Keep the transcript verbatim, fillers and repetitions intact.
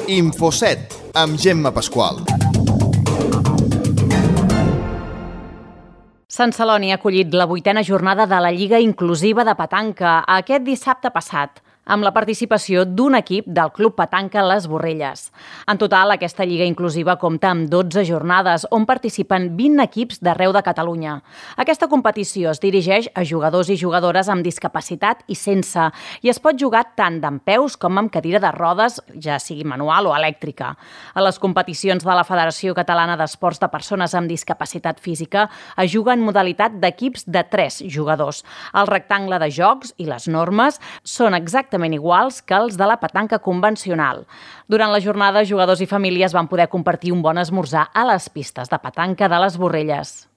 Infoset, amb Gemma Pasqual. Sant Celoni ha acollit la vuitena jornada de la Lliga Inclusiva de Petanca aquest dissabte passat, amb la participació d'un equip del Club Petanca Les Borrelles. En total, aquesta Lliga Inclusiva compta amb dotze jornades, on participen vint equips d'arreu de Catalunya. Aquesta competició es dirigeix a jugadors i jugadores amb discapacitat i sense, i es pot jugar tant dempeus com amb cadira de rodes, ja sigui manual o elèctrica. A les competicions de la Federació Catalana d'Esports de Persones amb Discapacitat Física es juga en modalitat d'equips de tres jugadors. El rectangle de jocs i les normes són exactament iguals que els de la petanca convencional. Durant la jornada, jugadors i famílies van poder compartir un bon esmorzar a les pistes de petanca de Les Borrelles.